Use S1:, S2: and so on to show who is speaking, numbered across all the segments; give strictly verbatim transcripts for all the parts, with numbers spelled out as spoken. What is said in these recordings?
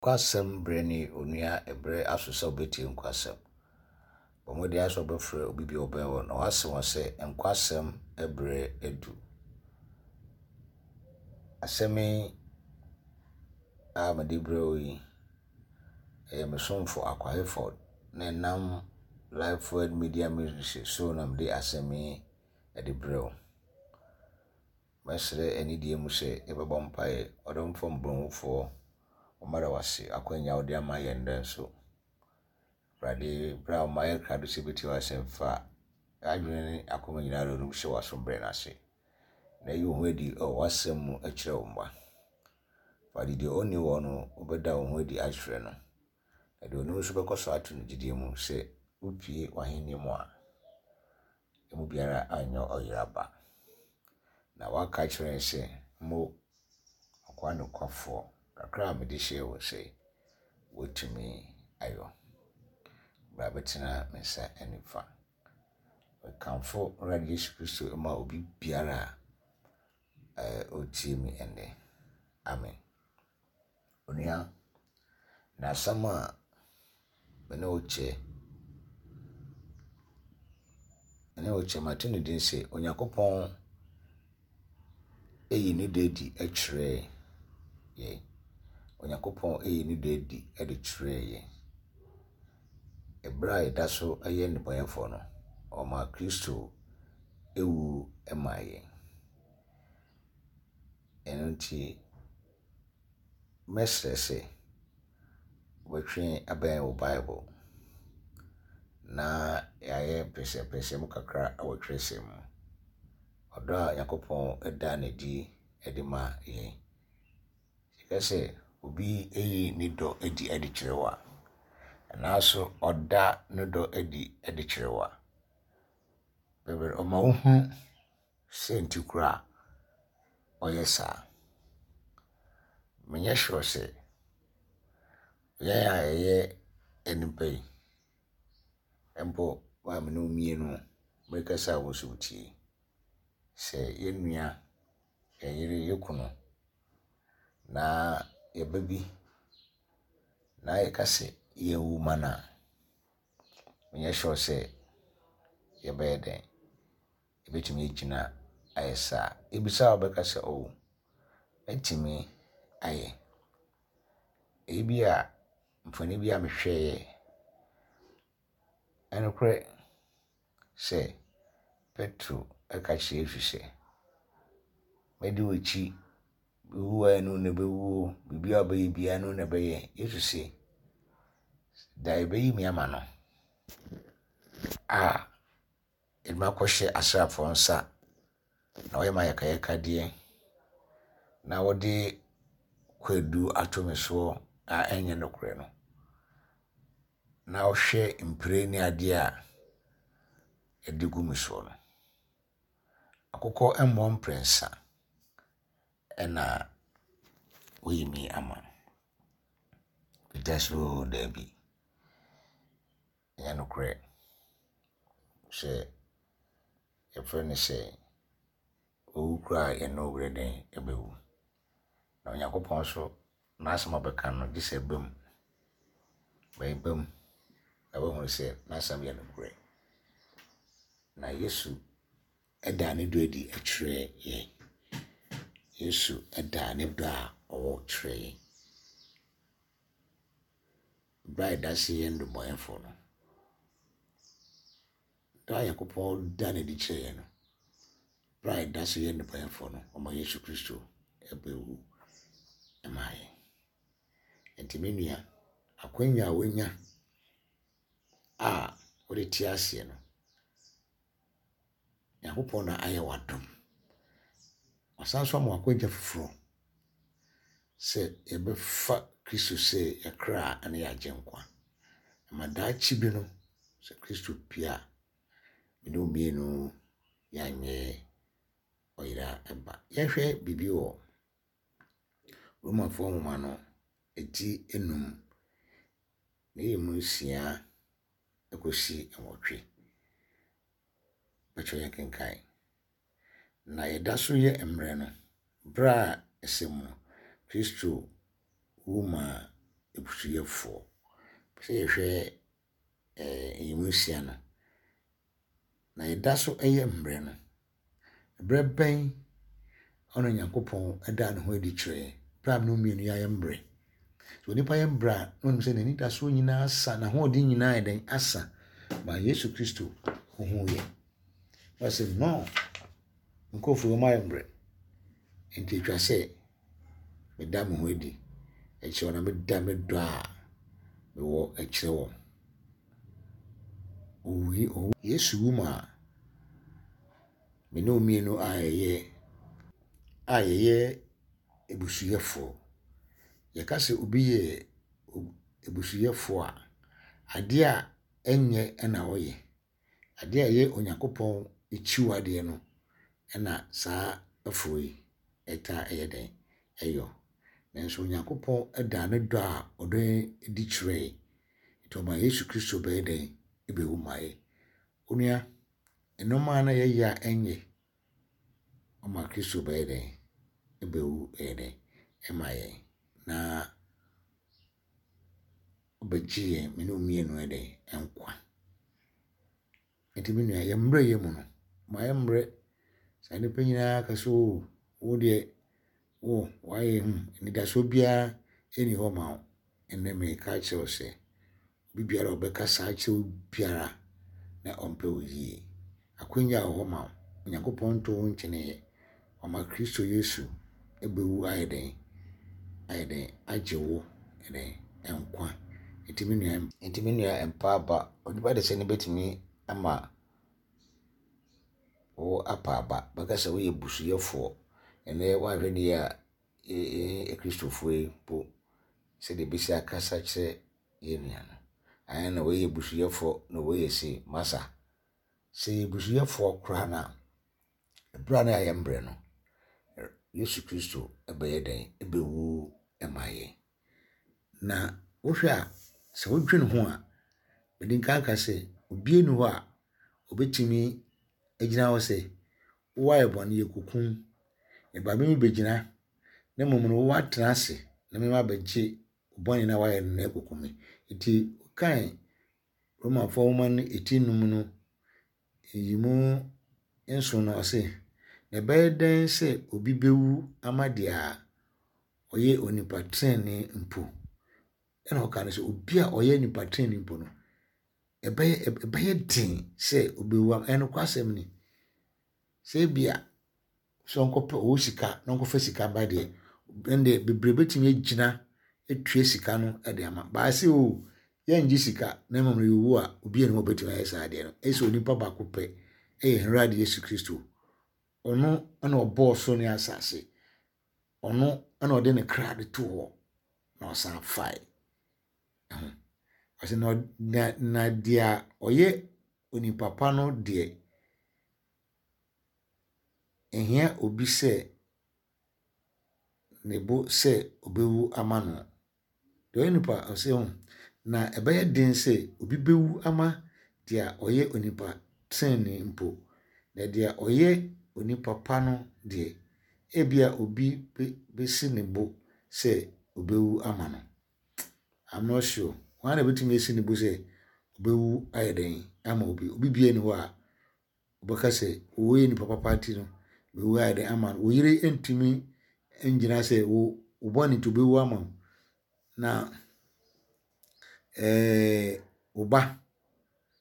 S1: Nkwasɛm berɛ ne onua ɛberɛ aso sɛ wobɛtie nkwasɛm. Bɔ mmɔden ara sɛ wobɛfrɛ obi bi a ɔbɛn wo na wase wɔn sɛ nkwasɛm berɛ adu. Asɛm yi a mede brɛ wo yi, ɛyɛ me somfo Akwa Hayford na ɛnam Life Word Media Ministry so na mede asɛm yi de brɛ wo. Mɛsrɛ anidie mu sɛ yɛbɛbɔ mpaeɛ. Ɔdomfoɔ mmɔborɔhunufoɔ, wɔmmɛda wo ase akwanya a wode ama yɛn nnɛ nso. Awurade, berɛ a woma yɛ krado sɛ yɛbɛtie w'asɛm fa adwene ne akoma nyinaa de hyɛ w'asombrɛ no ase. Na yi wo ho adi wɔ w'asɛm mu kyerɛ wo mma. Awurade, deɛ ɔnni hɔ no, wobɛda wo ho adi akyerɛ no. Na deɛ ɔnim nso bɛkɔ so ato no gyidie mu sɛ wopue w'ahenni mu a, emu biara anyɛ ɔyera ba. Na woaka kyerɛ yɛn sɛ, mo akoa nokwafoɔ, kakra a mede hyɛɛ wo nsa yi, woatumi ayɔ. Bra bɛtena me nsa nifa. Mekamfo Awurade Yesu Kristo ma obi biara a ɔretie me ɛnnɛ. Amen. Onua, na asɛm a me ne wo kyɛ, me ne wo kyɛ, mato ne din sɛ Onyankopɔn eyi ne dɔ adi kyerɛɛ yɛn. Onyankopɔn eyi ne dɔ adi de kyerɛɛ yɛn. Ɛberɛ a yɛda so yɛ nnebɔneyɛfoɔ no, ɔmaa Kristo ewu maa yɛn. Ɛno nti, mɛsrɛ sɛ wobɛtwe abɛn wo Bible na yɛayɛ mpɛsɛmpɛsɛmu kakra wɔ twerɛsɛm mu. Ɔdɔ a Onyankopɔn da no adi de ma yɛn. Yɛka sɛ obi eyi ne dɔ adi de kyerɛ wo a, anaaso ɔda ne dɔ adi de kyerɛ wo a, bebree ɔma wohu sɛ nti koraa ɔyɛ saa. Menyɛ sure sɛ yɛn a yɛyɛ nnipa yi, mpo maame no mmienu merekasa a wo nso wotie, sɛ yɛn nua, yɛn yere, yɛn kunu na yɛba bi na yɛka sɛ yɛnwu ma no a, menyɛ sure sɛ yɛbɛyɛ dɛn. Yɛbɛtumi agyina ayɛ saa. Ebisa a wobɛka sɛ, oh, mɛtumi ayɛ. Ebi a mfonin bi a mehwɛeɛ, ɛnokorɛ sɛ Petro ɛka kyerɛ Yesu sɛ, mɛdi w'akyi, mewu a ɛno na ɛbɛwu o, biribiara a wobɛyɛ biara ɛno na ɛbɛyɛ. Yesu se, da yɛbɛyi me ama no a yɛde me akɔhyɛ asraafoɔ nsa na wɔyɛ me ayakayakadeɛ na wɔde kwadu ato me soɔ a ɛnyɛ nokorɛ no, na wohwɛ mpire ne adeɛ a yɛde gu me soɔ no, akokɔ mmɔ mprɛnsa ɛna woyi me ama. Peter sɛ, oo daabi, ɛnyɛ nokorɛ sɛ yɛfrɛ no sɛ owu koraa a yɛne wo werɛ dɛn ɛbɛwu. Na Onyankopɔn nso n'asɛm a ɔbɛka no gye sɛ ɛba mu. Bɛba mu na woahunu sɛ n'asɛm yɛ nokorɛ. Na Yesu ɛdaa ne dɔ adi kyerɛɛ yɛn. Yesu ɛdaa ne dɔ a ɔwɔ kyerɛɛ yɛn. Berɛ a yɛda so yɛ nnebɔneyɛfoɔ no, dɔ a Onyankopɔn da no adi kyerɛɛ yɛn no, berɛ a yɛda so yɛ nnebɔneyɛfoɔ no, ɔma Yesu Kristo ɛbɛwu maa yɛn. Nti me nua, akwanya a woanya a wode te aseɛ no, Nyankopɔn na ayɛ w'adom. Ɔsan so ama w'akwanya foforɔ sɛ yɛbɛfa Kristo sɛ yɛn kra ne yɛn agyenkwa. Ma daakye bi no, sɛ Kristo pue a, me ne wo mmienu yɛanyɛ ɔyera ba. Yɛnhwɛ biribi wɔ Romafoɔ nwoma no eti enum na ɛyɛ mu nsia kɔsi nwɔtwe. Bɛkyerɛ yɛn kenkan. Na yɛda so yɛ mmerɛ no, berɛ a ɛsɛ mu no, Kristo wu maa abusuyɛfoɔ. Pɛ sɛ yɛhwɛ ɛɛ nyiyimu nsia no. Na yɛda so yɛ mmerɛ no, berɛ bɛn ɔna Nyankopɔn daa ne ho adi kyerɛ yɛn? Berɛ a me ne wo mmienu yɛayɛ mmerɛ. Sɛ onipa yɛ mmerɛ a, na onim sɛ n'anidasoɔ nyinaa asa, n'ahoɔden nyinaa yɛ dɛn asa. Ma Yesu Kristo ohuu yɛn. Ɔsɛ no, nkurɔfoɔ wɔn ayɛ mmerɛ. Nti atwa sɛ meda me ho adi kyerɛ wɔn na meda me dɔ a mewɔ kyerɛ wɔn. Owui owu Yesu wu maa me ne wo mmienu a yɛyɛ a yɛyɛ abusuyɛfoɔ. Yɛka sɛ obi yɛ abusuyɛfoɔ a, adeɛ a ɛnyɛ na ɔyɛ. Adeɛ a ɛyɛ Onyankopɔn akyiwadeɛ no ɛna saa afoɔ yi ɛtaa ɛyɛ dɛn ɛyɔ. Nanso Onyankopɔn daa ne dɔ a ɔdɔ yɛn adi kyerɛɛ yɛn. Nti ɔmaa Yesu Kristo bɛyɛ dɛn ɛbɛwu maa yɛn. Onua, nneɛma a na yɛyɛ a ɛnyɛ, ɔma Kristo bɛyɛ dɛn ɛbɛwu ɛyɛ dɛn ɛma yɛn. Na ɔbɛgye yɛn me ne wo mmienu yɛ dɛn nkwa. Nti me nua, yɛn mmerɛ yɛ mu no, ma yɛ mmerɛ. Saa nnipa nyinaa ka sɛ o, wo deɛ, wo wayɛ hmm, anidasoɔ biara ɛnni hɔ ma wo. Ɛnnɛ meka kyerɛ wo sɛ, obi biara a ɔbɛka saa kyerɛ wo biara na ɔmpɛ wo yie. Akwanya wɔ hɔ ma wo. Onyankopɔn nto wo nkyeneeɛ. Ɔma Kristo Yesu ɛbɛwu ayɛ dɛn ayɛ dɛn agye wo dɛn nkwa. Nti me nua nti me nua mpa aba. Onipa de sɛ ne bɛtumi ama wo apa aba. Bɛka sɛ woyɛ busuyɛfoɔ. Ɛnɛ woanhwɛ ne yie a yɛn Akristofoɔ yi mpo sɛdeɛ ɛbɛsi akasa kyerɛ yɛn nua no. Ayɛ na wɔyɛ busuyɛfoɔ na wɔyɛ sei masa. Sɛ yɛ busuyɛfoɔ koraa no a, ɛberɛ a na yɛayɛ mmerɛ no, Yesu Kristo ɛbɛyɛ dɛn ɛbɛwu ɛma yɛn. Na wohwɛ a, sɛ wodwene ho a, mede nka aka sɛ obiara nni hɔ a obɛtumi agyina hɔ sɛ woayɛ bɔne yɛkɔkum. Ɛba me bɛgyina na mmom no woatena ase na mema abɛgye bɔne na woayɛ no na ɛkɔkum me. Nti kan Romanfoɔ nwoma no eti num no, nyiyimu nson no ɔse, na ɛbɛyɛ dɛn sɛ obi bɛwu ama deɛ a ɔyɛ onipa tenenee mpo. Ɛna ɔka no sɛ obi a ɔyɛ nipa tenenee mpo no, ɛbɛyɛ ɛbɛyɛ den sɛ obɛwu ama ɛno kwasɛm ni. Sɛ ebia sɛ ɔnkɔpɛ ɔwɔ sika na ɔnkɔfa sika ba deɛ, ɛndeɛ bebree bɛtumi agyina atua sika no de ama. Baase o, yɛngye sika na mmom no yɛwu a, obi ani hɔ bɛtumi ayɛ saa adeɛ no. Ɛsɛ onipa baako pɛ, ɛyɛ Awurade Yesu Kristo. Ɔno ɛna ɔbɔɔ soro ne asase. Ɔno ɛna ɔde ne kra de too hɔ na ɔsan fae. Ɛho. Ɔsɛ na na na deɛ ɔyɛ onipa pa no deɛ, ɛhia obi sɛ ne bo sɛ ɔbɛwu ama no. Deɛ ɔyɛ nipa ɔsɛ ho na ɛbɛyɛ den sɛ obi bɛwu ama deɛ ɔyɛ onipa tenenee mpo. Na deɛ ɔyɛ onipa pa no deɛ, ebia obi bɛsi ne bo sɛ ɔbɛwu ama no. I'm not sure. Hwan na bɛtumi asi ne bo sɛ ɔbɛwu ayɛ dɛn ama obi? Obi biara nni hɔ a ɔbɛka sɛ woyɛ nipa papa nti no, bɛwu ayɛ dɛn ama no. Wo yere ntumi ngyina sɛ wo wo bɔne nti ɔbɛwu ama wo. Na ɛɛ wo ba,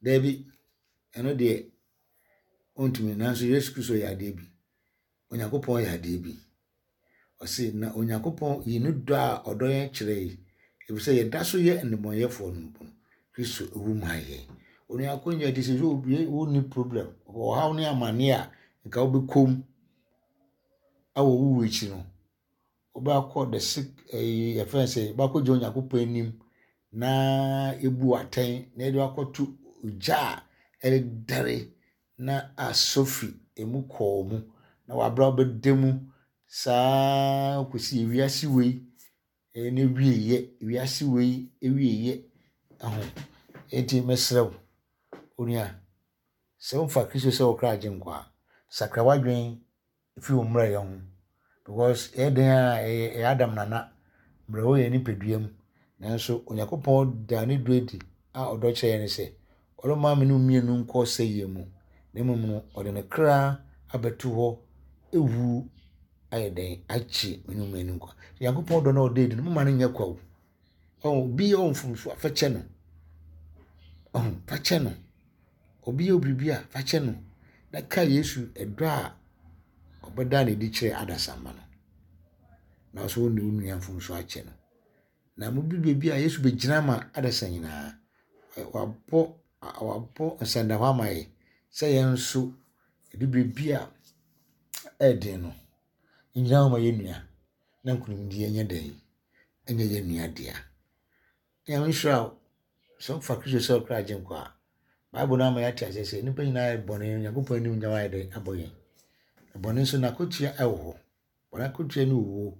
S1: daabi, ɛno deɛ ɔntumi. Nanso Yesu Kristo yɛ adeɛ bi. Onyankopɔn yɛ adeɛ bi. Ɔse na Onyankopɔn yi ne dɔ a ɔdɔ yɛn kyerɛ yi, efisɛ yɛda so yɛ nnebɔneyɛfoɔ no mpo no, Kristo ewu maa yɛn. Onua akonnwa ti sɛ obi wonni problem, ɔhaw ne amanneɛ a nka wobɛkɔ mu awɔ wo wu akyi no, wobɛkɔ the sick ɛyi yɛfrɛ no sɛ wobɛkɔgyina Onyankopɔn anim na ebu atɛn na yɛde akɔto ogya a ɛredɛre na asɔ fi emu kɔɔ mu na wabra wobɛda mu saa kɔsi ewiase wei ɛne wieyɛ wiase wei ewieyɛ ɛho. Enti mesrɛ wo, onua, sɛ womfa Kristo sɛ wo kra agyenkwa a, sakra w'adwene firi wo mmerɛyɛ ho. Because ɛyɛ den a ɛyɛ ɛyɛ Adam nana mmerɛ wɔ yɛn nipadua mu. Nanso Onyankopɔn daa ne dɔ adi a ɔdɔ kyerɛ yɛn ne sɛ, ɔremma me ne wo mmienu nkɔ sɛeɛ mu, na mmom no, ɔde ne kra abɛto hɔ ewu ayɛ dɛn agye me ne wo mmienu nkwa. Nyankopɔn dɔ na ɔda adi no, momma no nyɛ kwa o. Ɔn, obi yɛ wo mfomso a, fa kyɛ no. Ɔn, fa kyɛ no. Obi yɛ wo biribi a, fa kyɛ no. Na ka Yesu ɛdɔ a ɔbɛda no adi kyerɛ adasamma no. Na nso wo ne wo nua mfomso akyɛ no. Na modu baabi a Yesu bɛgyina ma adasa nyinaa. Wabɔ wabɔ nsɛndahɔ ama yɛ sɛ yɛn nso ɛdu baabi a ɛɛden no, yɛngyina hɔ ma yɛn nua na nkonimdie nyɛ dɛn ɛnyɛ yɛn nua dea. Nyame nhyira wo sɛ wofa Kristo sɛ wo kra agyenkwa a, Bible no ama yɛate aseɛ sɛ nnipa nyinaa yɛ bɔne, Onyankopɔn anim nyam ayɛ dɛn abɔ yɛn. Bɔne nso n'akotua ɛwɔ hɔ. Bɔne akatua ne owuo.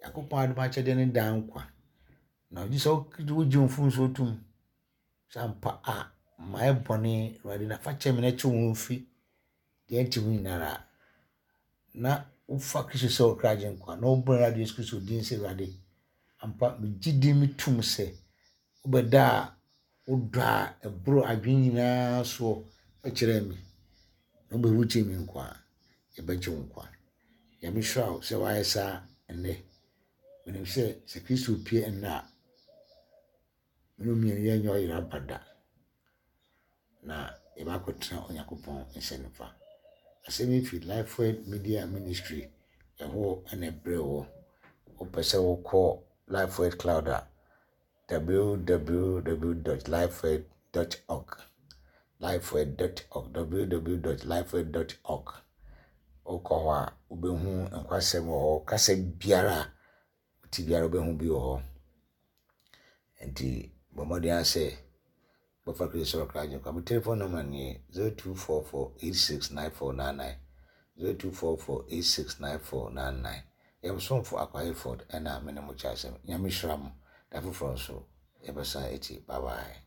S1: Nyankopɔn adom akyɛdeɛ ne daa nkwa. Na ɔgye sɛ wogye wo mfomsoɔ tom sɛ ampa a mayɛ bɔne Awurade na fa kyɛ me na kye wo ho mfi deɛ ɛnte ho nyinara. Na wofa Kristo sɛ wo kra agyenkwa na wobɔ Awurade Yesu Kristo din sɛ Awurade ampa megye di metom sɛ wobɛda a wodɔ a ɛboro adwene nyinaa soɔ kyerɛ me na wobɛwu kyerɛ me nkwa a, yɛbɛgye wo nkwa. Nyame hyira wo sɛ woayɛ saa ɛnnɛ. Menim sɛ sɛ Kristo pue ɛnnɛ a, me ne wo mmienu yɛnyɛ ɔyera aba da. Na yɛbɛakɔtena Onyankopɔn nsa nifa. Asɛm yi fi Lifeword Media Ministry ɛhɔ ɛna ɛbrɛ wɔ. Wopɛ sɛ wokɔ Lifeword Cloud a, w w w dot lifeword dot org, lifeword dot org, w w w dot lifeword dot org. Wokɔ hɔ a, wobɛhu nkwasɛm wɔ hɔ. Kasa biara a wote biara wobɛhu bi wɔ hɔ. Nti bɔ mmɔden ara sɛ bɛfa Kristo sɛ wo kra agyenkwa. Me telephone number nie: zero two four four eight six nine four nine nine, zero two four four eight six nine four nine nine. Yɛn somfo Akwa Hayford ɛna me ne mo kyɛ asɛm. Nyame hyira mo. Da foforɔ nso yɛbɛsan akyi. Bye bye.